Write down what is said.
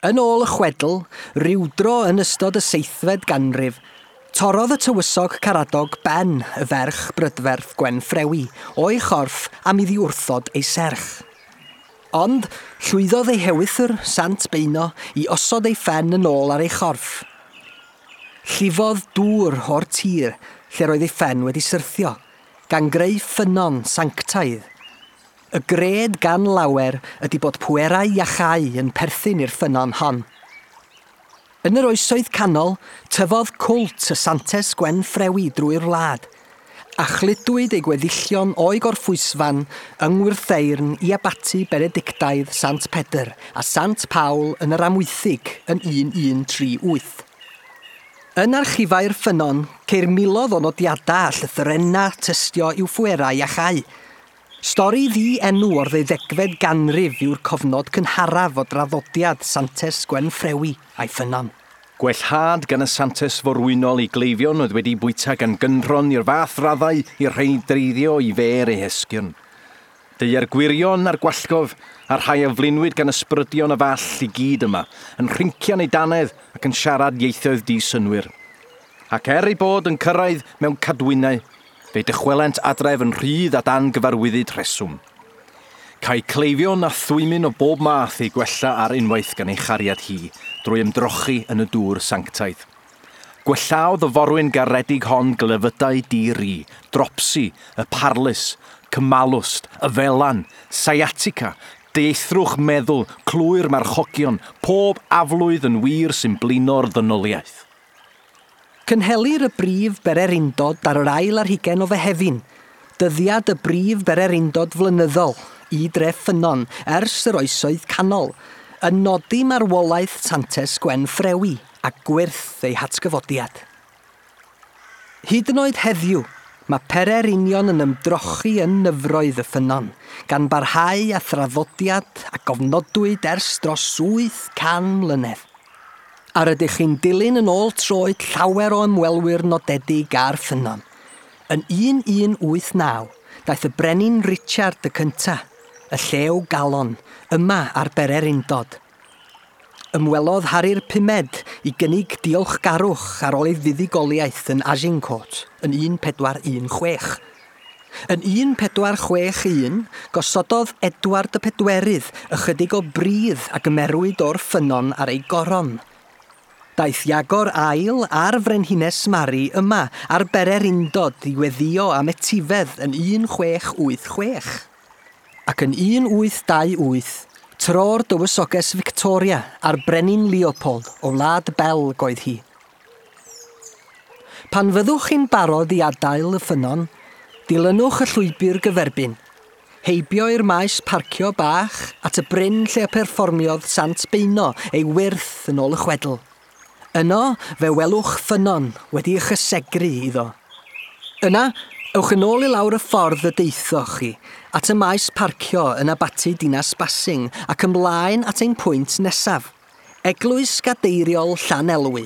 Yn ôl y chwedl, rywdro yn ystod y seithfed ganrif, torrodd y tywysog Caradog ben y ferch brydferth Gwenffrewi o'i chorff am iddi wrthod ei serch. Ond llwyddodd ei hewythr, Sant Beuno, i osod ei phen yn ôl ar ei chorff. Llifodd dŵr o'r tir lle roedd ei phen wedi syrthio, gan greu ffynnon sanctaidd. Y gred gan lawer ydy bod pwerau iachau yn perthyn i'r ffynnon hon. Yn yr oesoedd canol, tyfodd cwlt y Santes Gwenffrewi drwy'r wlad, a chludwyd ei gweddillion o'i gorffwysfan yng Ngwrtheyrn i abaty Benedictaidd Sant Pedr a Sant Paul yn yr Amwythig yn 1138. Yn archifau'r ffynnon, ceir miloedd o nodiadau a llythrennau tystio i'w phwerau iachau. Stori ddi-enw o'r ddeuddegfed ganrif yw'r cofnod cynharaf o draddodiad Santes Gwenffrewi a'i ffynnon. Gwellhad gan y Santes Forwynol i gleifion oedd wedi bwyta gan gynrhon i'r fath raddau i'r rheiny dreiddio i fêr eu hesgyrn. Deuai'r gwirion a'r gwallgof, a'r rhai a flinwyd gan ysbrydion y fall i gyd yma, yn rhincian eu dannedd ac yn siarad ieithoedd di-synnwyr. Ac er eu bod yn cyrraedd mewn cadwynau, Fe dychwelent adref yn rhydd a dan gyfarwyddyd rheswm. Cai cleifion a thwymyn o bob math eu gwella ar unwaith gan ei chariad hi, drwy ymdrochi yn y dŵr sanctaidd. Gwellaodd y forwyn garedig hon glefydau di-ri, dropsi, y parlys, cymalwst, y felan, sciatica, dieithrwch meddwl, clwy'r marchogion, pob aflwydd yn wir sy'n blino'r ddynoliaeth. Cynhelir y brif bererindod ar yr ail ar hugain o Fehefin, dyddiad y brif bererindod flynyddol i dref Ffynnon ers yr Oesoedd Canol, yn nodi marwolaeth Santes Gwenffrewi a gwyrth ei hatgyfodiad. Hyd yn oed heddiw, mae pererinion yn ymdrochi yn nyfroedd y ffynnon, gan barhau â thraddodiad a gofnodwyd ers dros 800 mlynedd. A rydych chi'n dilyn yn ôl troed llawer o ymwelwyr nodedig â'r ffynnon. Yn 1189, daeth y brenin Richard y Cynta, y llew galon, yma ar bererindod. Ymwelodd Harri'r Pumed i gynnig diolchgarwch ar ôl ei fuddugoliaeth yn Agincourt yn 1416. Yn 1461, gosododd Edward y Pedwerydd ychydig o bridd a gymerwyd o'r ffynnon ar ei goron. Daeth Iago'r Ail a'r Frenhines Mari yma ar bererindod i weddïo am etifedd yn 1686. Ac yn 1828, tro'r dywysoges Victoria a'r Brenin Leopold o Wlad Belg oedd hi. Pan fyddwch chi'n barod i adael y ffynnon, dilynwch y llwybr gyferbyn. Heibio i'r maes parcio bach at y bryn lle y perfformiodd Sant Beuno ei wyrth yn ôl y chwedl. Yno, fe welwch ffynnon wedi ei chysegru iddo. Yna, ewch yn ôl i lawr y ffordd y deithoch chi, at y maes parcio yn Abaty Dinas Basing ac ymlaen at ein pwynt nesaf, Eglwys Gadeiriol Llanelwy.